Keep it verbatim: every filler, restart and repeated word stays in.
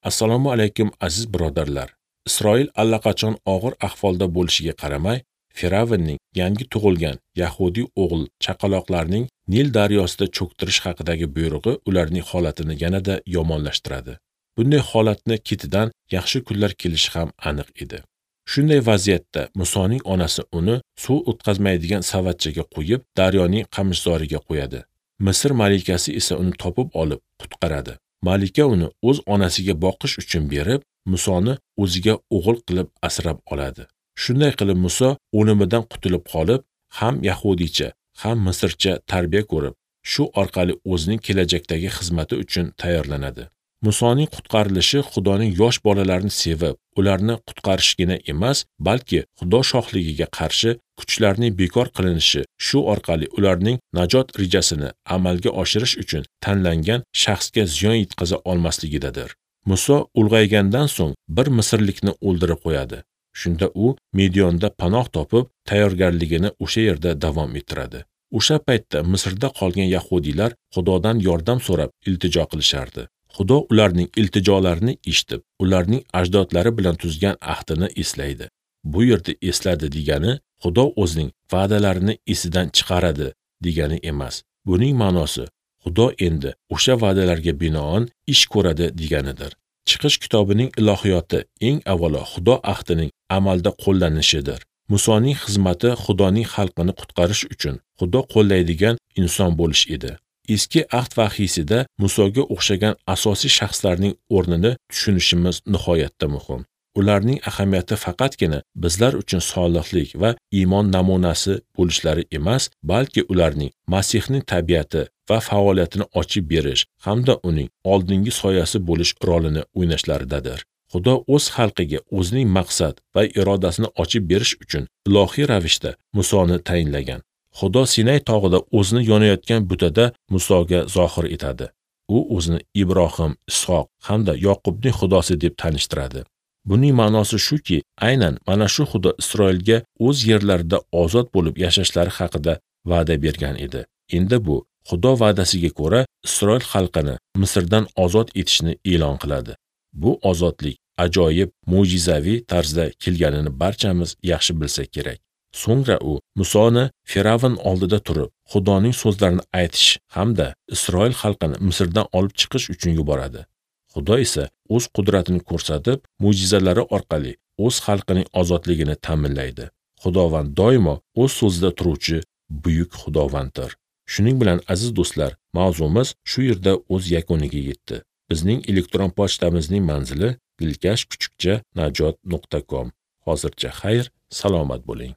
Assalomu alaykum aziz birodarlar. Isroil allaqachon og'ir ahvolda bo'lishiga qaramay, Firavnning yangi tug'ilgan yahudiy o'g'il chaqaloqlarning Nil daryosida cho'ktirish haqidagi buyrug'i ularning holatini yanada yomonlashtiradi. Bunday holatni ketidan yaxshi kunlar kelishi ham aniq edi. Shunday vaziyatda Musoning onasi uni suv o'tkazmaydigan savatchaga qo'yib, daryoning qamishzoriga qo'yadi. Misr malikasi esa uni topib olib, qutqaradi. Malika uni o'z onasiga boqish uchun berib, Musoni o'ziga o'g'il qilib asrab oladi. Shunday qilib Muso o'limidan qutulib qolib, ham yahudiycha, ham misrcha tarbiya ko'rib, shu orqali o'zining kelajakdagi xizmati uchun tayyorlanadi. Musoning qutqarilishi Xudoning yosh bolalarni sevib, ularni qutqarishgina emas, balki Xudo shohligiga qarshi kuchlarning bekor qilinishi, shu orqali ularning najot rejasini amalga oshirish uchun tanlangan shaxsga ziyon yetkaza olmasligidadir. Muso ulg'aygandan so'ng bir misrlikni o'ldirib qo'yadi. Shunda u Midyonda panoh topib, tayyorgarligini o'sha yerda davom ettiradi. O'sha paytda Misrda qolgan yahudiylar Xudodan yordam so'rab iltijo qilishardi. Xudo ularning iltijolarini eshitib, ularning ajdodlari bilan tuzgan ahdini eslaydi. Bu yerda esladi degani Xudo o'zining va'dalarini esidan chiqaradi degani emas. Buning ma'nosi Xudo endi o'sha va'dalarga binoan ish ko'radi deganidir. Chiqish kitobining ilohiyoti eng avvalo Xudo ahdining amalda qo'llanishidir. Musoning xizmati Xudoning xalqini qutqarish uchun Xudo qo'llaydigan inson bo'lish edi. Eski ahd vahiysida Musoga o'xshagan asosiy shaxslarning o'rnini tushunishimiz nihoyatda muhim. Ularning ahamiyati faqatgina bizlar uchun solihlik va iymon namunasi bo'lishlari emas, balki ularning Masihning tabiati va faoliyatini ochib berish hamda uning oldingi soyasi bo'lish rolini o'ynashlaridadir. Xudo o'z xalqiga o'zining maqsad va irodasini ochib berish uchun ilohiy ravishda Musoni tayinlagan. Xudo Sinay tog'ida o'zini yonayotgan butada Musoga zohir etadi. U o'zini Ibrohim, Ishoq hamda Yoqubning Xudosi deb tanishtiradi. Buning ma'nosi shuki, aynan mana shu Xudo Isroilga o'z yerlarida ozod bo'lib yashashlari haqida va'da bergan edi. Endi bu Xudo va'dasiga ko'ra Isroil xalqini Misrdan ozod etishni e'lon qiladi. Bu ozodlik ajoyib, mo'jizaviy tarzda kelganini barchamiz yaxshi bilsak kerak. So'ngra u Musoni Firavn oldida turib, Xudoning so'zlarini aytish hamda Isroil xalqini Misrdan olib chiqish uchun yuboradi. Xudo esa o'z qudratini ko'rsatib, mo'jizalari orqali o'z xalqining ozodligini ta'minlaydi. Xudovand doimo o'z so'zida turuvchi buyuk Xudovanddir. Shuning bilan aziz do'stlar, mavzumiz shu yerda o'z yakuniga yetdi. Bizning elektron pochtamizning manzili dilkash kuchukcha najot nuqta com. Hozircha xayr, salomat bo'ling.